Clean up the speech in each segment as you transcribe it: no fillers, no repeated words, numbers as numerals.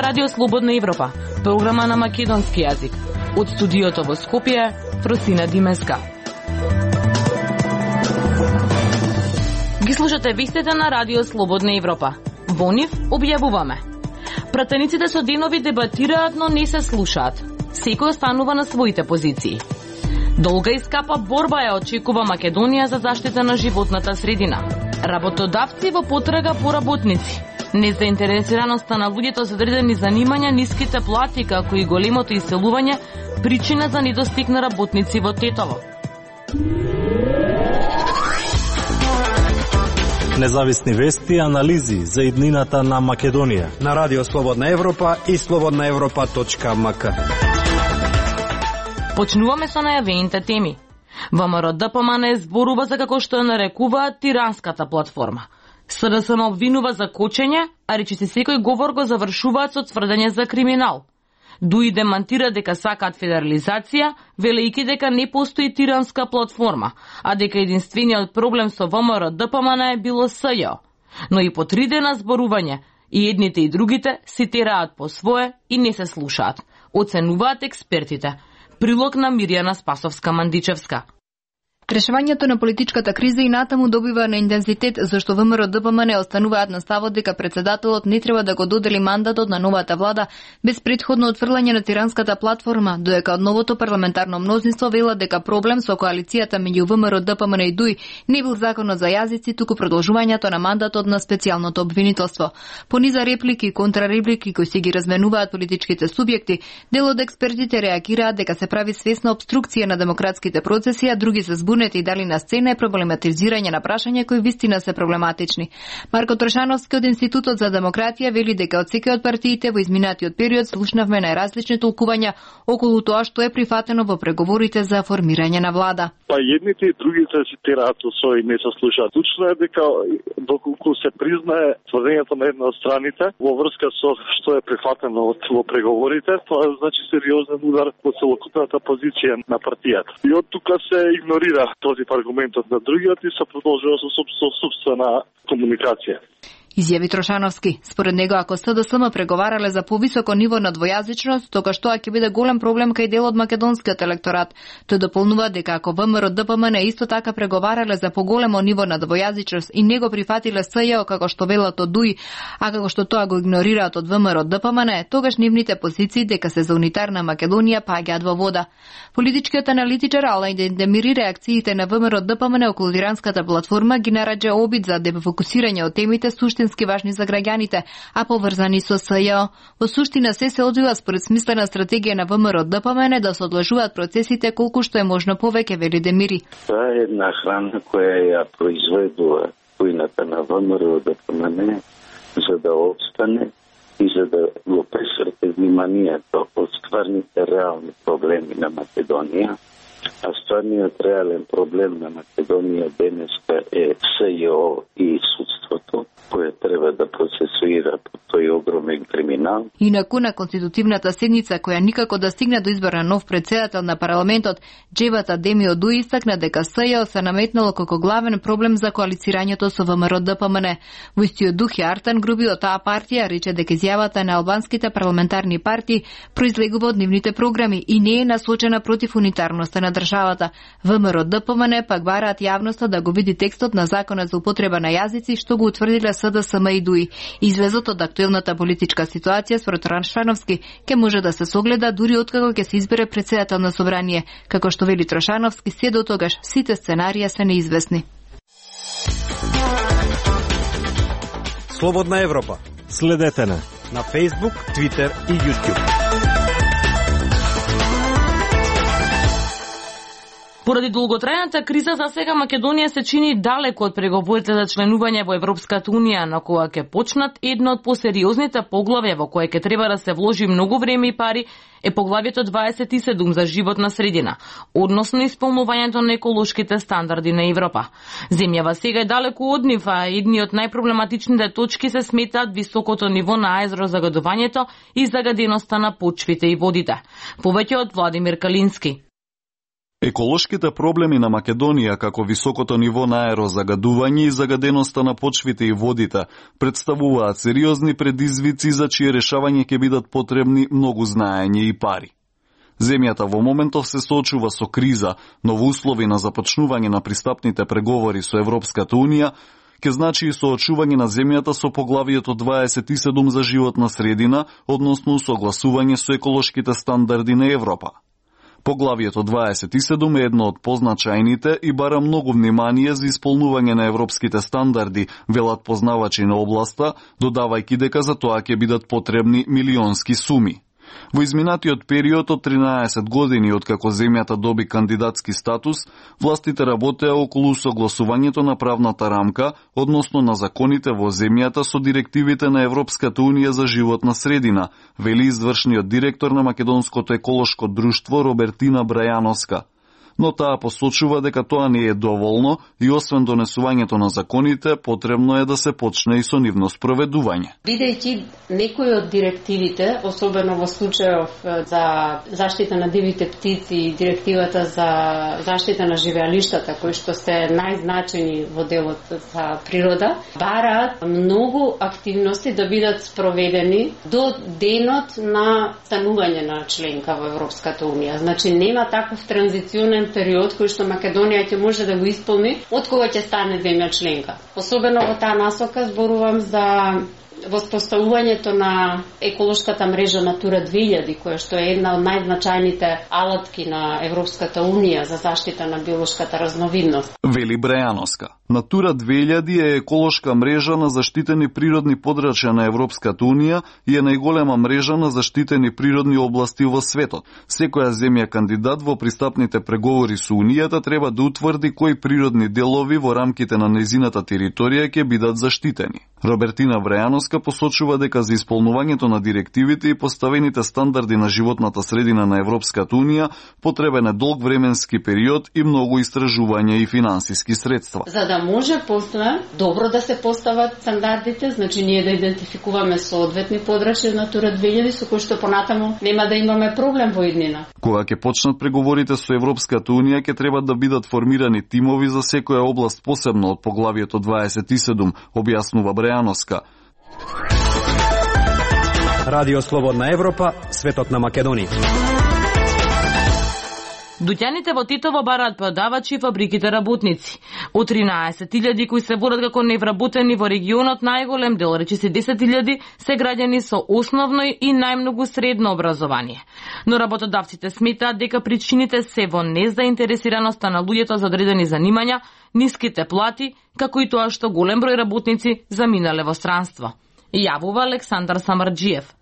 ова Радио Слободна Европа, програма на македонски јазик. Од студиото во Скопје, Фросина Димеска. Ги слушате вестите на Радио Слободна Европа. Во нив објавуваме. Пратениците со денови дебатираат, но не се слушаат. Секој останува на своите позиции. Долга и скапа борба ја очекува Македонија за заштита на животната средина. Работодавци во потрага по работници. Незаинтересираноста на луѓето со одредени занимања, ниските плати, како и големото иселување, причина за недостиг на работници во Тетово. Независни вести и анализи за иднината на Македонија на Радио Слободна Европа и slobodnaevropa.mk. Почнуваме со најавените теми. ВМРО ДПМН зборува за како што ја нарекуваат тиранската платформа. СДСМ обвинува за кочење, а речиси секој говор го завршуваат со тврдење за криминал. ДУИ демантира дека сакаат федерализација, велејќи дека не постои тиранска платформа, а дека единствениот проблем со ВМРО ДПМН е било СЈО. Но и по 3 дена зборување, и едните и другите си тераат по свое и не се слушаат, оценуваат експертите. Прилог на Мирјана Спасовска-Мандичевска. Решавањето на политичката криза и натаму добива на интензитет, зашто ВМРО ДПМН остануваат на ставот дека председателот не треба да го додели мандатот на новата влада без претходно отфрлање на тиранската платформа, додека од новото парламентарно мнозинство велат дека проблем со коалицијата меѓу ВМРО ДПМН и ДУИ не бил законот за јазици, туку продолжувањето на мандатот на специјалното обвинителство. По низа реплики и контрареплики кои си ги разменуваат политичките субјекти, дел од експертите реагираат дека се прави свесна обструкција на демократските процеси, а други се збунети и дали на сцена е проблематизирање на прашања кои вистина се проблематични. Марко Трошановски од Институтот за демократија вели дека од секој од партиите во изминатиот период слушнавме најразлични толкувања околу тоа што е прифатено во преговорите за формирање на влада. Па едните и другите си тераат со и не се слушаат. Точно е дека доколку се признае тврдењето на една од страните во врска со што е прифатено во преговорите, тоа значи сериозен удар по целокупната позиција на партијата. И од тука се игнорира този аргументот на другиот и се продолжува со собствена комуникација. Изјави Трошановски. Според него, ако СДСМ преговарале за повисоко ниво на двојазичност, тогаш тоа ќе биде голем проблем кај дел од македонскиот електорат. Тој дополнува дека ако ВМРО ДПМН исто така преговарале за поголемо ниво на двојазичност и не го прифатиле СЈО како што велат од ДУИ, а како што тоа го игнорираат од ВМРО ДПМН, тогаш нивните позиции дека се за унитарна Македонија паѓаат во вода. Политичкиот аналитичар Алајн Демири реакциите на ВМРО ДПМН околу тиранската платформа ги нараѓа обид за дефокусирање од темите суштински важни за граѓаните, а поврзани со СЈО. Во суштина се одвива според смислена стратегија на ВМРО ДПМН да се одложуваат процесите колку што е можно повеќе, вели Демири. Тоа е една храна која ја произведува војната на ВМРО ДПМН за да обстане и за да го пресврте вниманието од стварните реални проблеми на Македонија. А стварниот реален проблем на Македонија денеска е СЈО и судството, кое треба да процесуира по тој огромен криминал. Инаку на конститутивната седница, која никако да стигне до избор на нов председател на парламентот, Джебата Демио Дуи истакна дека СЈО се наметнало како главен проблем за коалицирањето со ВМРО ДПМН. Во истиот дух е Артан Груби од таа партија рече дека изјавата на албанските парламентарни партии произлегува од нивните програми и не е насочена против унитарноста на државата. ВМРО ДПМН пак бараат јавноста да го види текстот на законот за употреба на јазици што го утврдиле СДСМ и ДУИ. Излезот од актуелната политичка ситуација според Трошановски ќе може да се согледа дури откако ќе се избере председател на собрание. Како што вели Трошановски, се до тогаш сите сценарија се неизвестни. Слободна Европа. Следете на Facebook, Twitter и YouTube. Поради долготрајната криза за сега Македонија се чини далеко од преговорите за членување во Европската унија, на која ќе почнат едно од посериозните поглавја во кое ќе треба да се вложи многу време и пари е поглавјето 27 за животна средина, односно исполнувањето на еколошките стандарди на Европа. Земјава сега е далеко од нив, а едни од најпроблематичните точки се сметаат високото ниво на аерозагадувањето и загаденоста на почвите и водите. Повеќе од Владимир Калински. Еколошките проблеми на Македонија, како високото ниво на аерозагадување и загаденоста на почвите и водите, представуваат сериозни предизвици за чие решавање ќе бидат потребни многу знаење и пари. Земјата во моментов се соочува со криза, но во услови на започнување на пристапните преговори со Европската Унија, ќе значи и соочување на земјата со поглавието 27 за животна средина, односно согласување со еколошките стандарди на Европа. Поглавието 27 е едно од позначајните и бара многу внимание за исполнување на европските стандарди, велат познавачи на областа, додавајќи дека за тоа ќе бидат потребни милионски суми. Во изминатиот период од 13 години откако земјата доби кандидатски статус, властите работеа околу согласувањето на правната рамка, односно на законите во земјата со директивите на Европската Унија за животна средина, вели извршниот директор на Македонското еколошко друштво Робертина Брајановска. Но таа посочува дека тоа не е доволно и освен донесувањето на законите, потребно е да се почне и со нивно спроведување. Бидејќи некои од директивите, особено во случајов за заштита на дивите птици и директивата за заштита на живеалиштата, кои што се најзначени во делот за природа, бараат многу активности да бидат спроведени до денот на станување на членка во Европската Унија. Значи нема таков транзиционен период кој што Македонија ќе може да го исполни од кога ќе стане земја членка. Особено во таа насока зборувам за воспоставувањето на еколошката мрежа Натура 2000, која што е една од најзначајните алатки на Европската Унија за заштита на биолошката разновидност. Вели Брајановска. Натура 2000 е еколошка мрежа на заштитени природни подрачја на Европската Унија и е најголема мрежа на заштитени природни области во светот. Секоја земја кандидат во пристапните преговори со Унијата треба да утврди кои природни делови во рамките на нејзината територија ќе бидат заштитени. Робертина Брајановска посочува дека за исполнувањето на директивите и поставените стандарди на животната средина на Европската Унија потребен е долг временски период и многу истражување и финансиски средства. За да може после добро да се постават стандардите, значи ние да идентификуваме соодветни подрачја Натура 2000 со кои што понатаму нема да имаме проблем во иднина. Кога ќе почнат преговорите со Европската Унија, ќе треба да бидат формирани тимови за секоја област посебно од поглавието 27, објаснува Брајановска. Радио Слободна Европа, светот на Македонија. Дуќаните во Титово бараат продавачи и фабриките работници. Од 13.000 кои се борат како невработени во регионот, најголем дел, речиси 10.000, се граѓани со основно и најмногу средно образование. Но работодавците сметаат дека причините се во незаинтересираноста на луѓето за одредени занимања, ниските плати, како и тоа што голем број работници заминале во странство. Јавува Александар Самарџиев.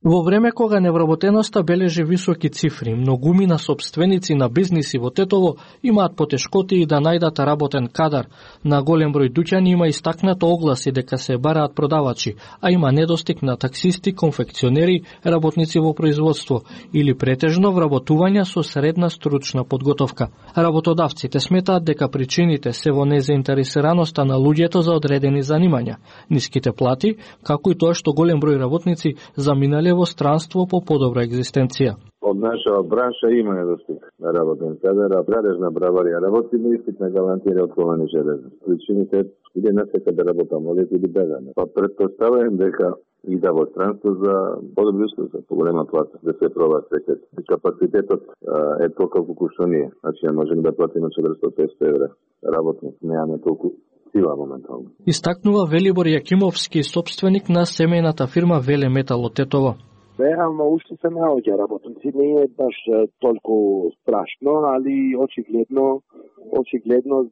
Во време кога невработеноста бележи високи цифри, многумина сопственици на бизниси во Тетово имаат потешкоти и да најдат работен кадар. На голем број дуќани има истакнато огласи дека се бараат продавачи, а има недостиг на таксисти, конфекционери, работници во производство или претежно вработувања со средна стручна подготовка. Работодавците сметаат дека причините се во незаинтересираноста на луѓето за одредени занимања, ниските плати, како и тоа што голем број работници заминале во странство по подобра екзистенција. Од наша бранша има недостиг на работен кадар, а брадежна браварија работи, но испитна гарантија отковани железни. Причините или не сека да работам, или бегаме. Па претпоставувам дека и да во странство за подобри услови, за поголема плата, да се проба секој. Капацитетот е толку што ние. Значи, можеме да платиме 400-500 евра работник, немаме толку сила моментално. Истакнува Велибор Јакимовски, собственик на семејната фирма Веле Метал од Тетово. Реално уште се наоѓа работници, не е баш толку страшно, али очигледно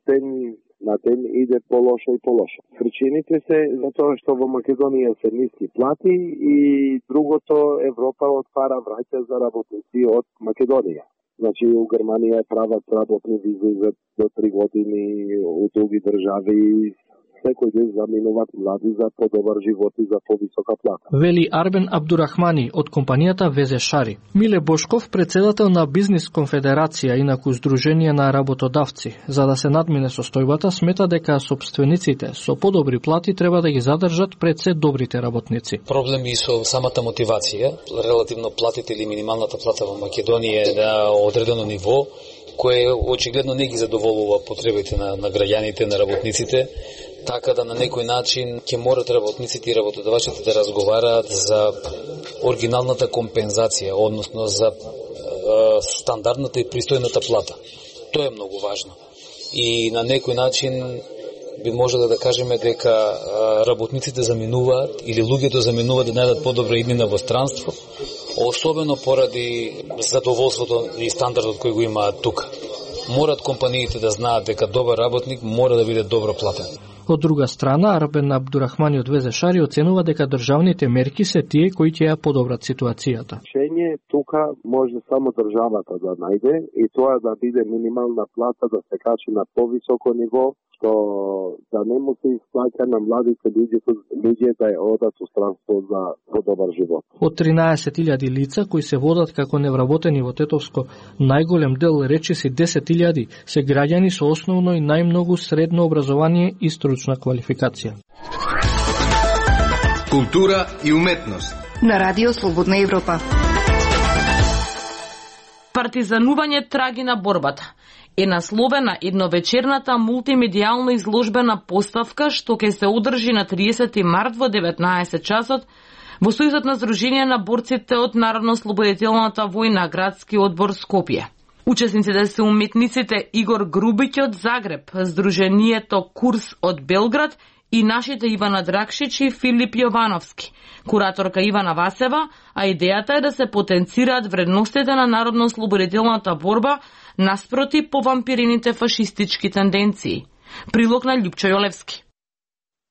ден на ден иде полошо и полошо. Причините се затоа што во Македонија се ниски плати и другото Европа отвара враќа за работници од Македонија. Значи, у Германија прават работни визи за до 3 години, у други држави секој ден заминуваат млади за подобар живот и за повисока плата. Вели Арбен Абдурахмани од компанијата Везе Шари. Миле Бошков, председател на Бизнис конфедерација, инаку Сдружение на работодавци, за да се надмине состојбата, смета дека собствениците со подобри плати треба да ги задржат пред се добрите работници. Проблеми со самата мотивација, релативно платите или минималната плата во Македонија е на одредено ниво кој очигледно не ги задоволува потребите на граѓаните, на работниците, така да на некој начин ќе морат работниците и работодавачите да разговараат за оригиналната компензација, односно за стандардната и пристојната плата. Тоа е многу важно. И на некој начин би можело да кажеме дека работниците заминуваат или луѓето заминуваат да најдат подобра иднина во странство, особено поради задоволството и стандардот кој го имаат тука. Морат компаниите да знаат дека добар работник мора да биде добро платен. Од друга страна, Арбен Абдурахмани од ВЗШ оценува дека државните мерки се тие кои ќе ја подобрат ситуацијата. Решение тука може само државата да најде и тоа да биде минимална плата да се качи на повисоко ниво, што да не му се исплаќа на младите луѓе да ја одат у странство за подобар живот. Од 13.000 лица кои се водат како невработени во Тетовско, најголем дел, речиси 10.000, се граѓани со основно и најмногу средно образование и стручна квалификација. Култура и уметност на Радио Слободна Европа. Партизанување траги на борбата е насловена едновечерната мултимедијална изложбена поставка што ќе се одржи на 30 март во 19 часот во Сојузот на Здружение на борците од Народно-ослободителната војна, градски одбор Скопје. Учесниците се уметниците Игор Грубиќ од Загреб, Здруженијето Курс од Белград и нашите Ивана Дракшич и Филип Јовановски, кураторка Ивана Васева, а идејата е да се потенцираат вредностите на народно-ослободителната борба наспроти повампирените фашистички тенденции. Прилог на Љупчо Јолевски.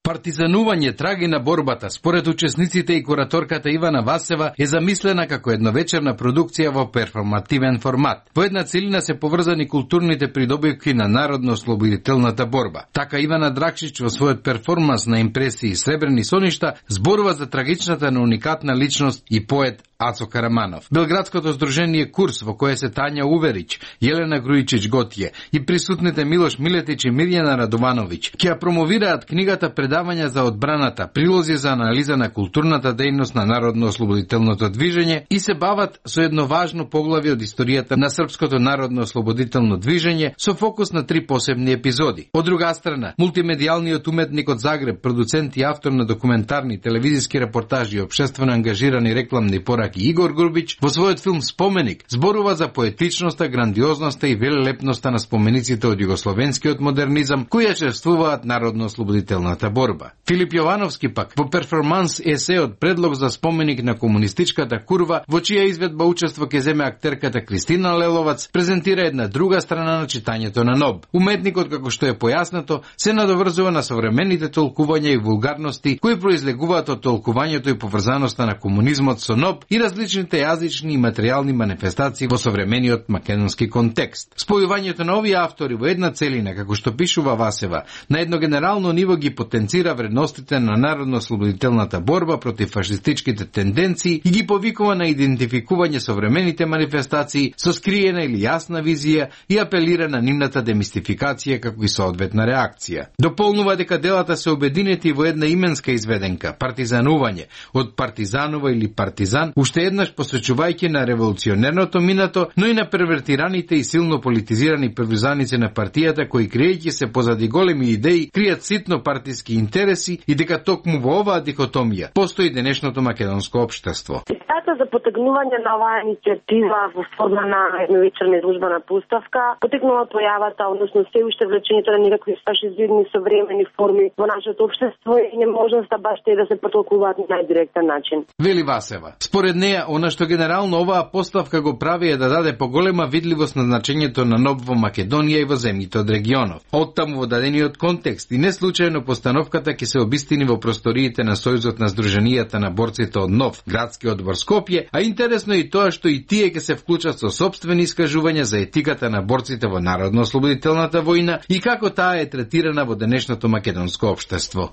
Партизанување траги на борбата, според учесниците и кураторката Ивана Васева, е замислена како едновечерна продукција во перформативен формат. Во една целина се поврзани културните придобивки на народно-ослободителната борба. Така Ивана Дракшич во својот перформанс на импресии Сребрени соништа зборува за трагичната на уникатна личност и поет Ацо Караманов. Белградското здружение Курс, во кое се Тања Уверич, Јелена Грујчич Готје и присутните Милош Милетич и Мирјана Радовановиќ ќе ја промовираат книгата Предавања за одбраната, прилози за анализа на културната дејност на народно-ослободителното движење и се бават со едно важно поглавје од историјата на српското народно-ослободително движење со фокус на 3 посебни епизоди. Од друга страна, мултимедијалниот уметник од Загреб, продуцент и автор на документарни, телевизиски репортажи и општествено ангажирани рекламни пораки Игор Грубиќ во својот филм Споменик зборува за поетичноста, грандиозноста и велелепноста на спомениците од југословенскиот модернизам кои ја чествуваат народно-ослободителната борба. Филип Јовановски пак во перформанс есе од предлог за споменик на комунистичката курва, во чија изведба учество ќе земе актерката Кристина Леловац, презентира една друга страна на читањето на НОБ. Уметникот, како што е појаснато, се надоврзува на современите толкувања и вулгарности кои произлегуваат од толкувањето и поврзаноста на комунизмот со НОБ и различните јазични и материјални манифестации во современиот македонски контекст. Спојувањето на овие автори во една целина, како што пишува Васева, на едно генерално ниво ги потенцира вредностите на народно-ослободителната борба против фашистичките тенденции и ги повикува на идентификување современите манифестации со скриена или јасна визија и апелира на нивната демистификација како и соодветна реакција. Дополнува дека делата се обединети во една именска изведенка, партизанување, од партизанова или партизан, уште еднаш посвечувајќи на револуционерното минато, но и на первертираните и силно политизирани приврзаници на партијата кои криејќи се позади големи идеи, кријат ситно партиски интереси и дека токму во оваа дихотомија постои денешното македонско општество. Идејата за потегнување на оваа иницијатива во форма на едновечерна изложбена поставка потекнува од појавата, односно се уште влечењето на некакви фашизидни современи форми во нашето општество и неможноста баш тие да се потолкуваат на најдиректен начин. Вели Васева. Според неја, она што генерално оваа поставка го прави е да даде поголема видливост на значењето на НОБ во Македонија и во земјите од регионов. Оттаму во дадениот контекст и не случајно постановката ќе се обистини во просториите на Сојузот на Здруженијата на борците од НОВ, градски одбор Скопје, а интересно е и тоа што и тие ќе се вклучат со сопствени искажувања за етиката на борците во Народно-ослободителната војна и како таа е третирана во денешното македонско општество.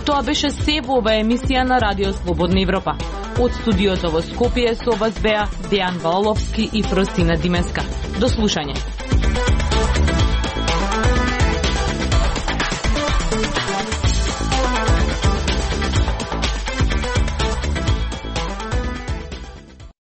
Тоа беше се во оваа емисија на Радио Слободна Европа. Од студиото во Скопје со вас беа Дејан Валовски и Фростина Димеска. До слушање.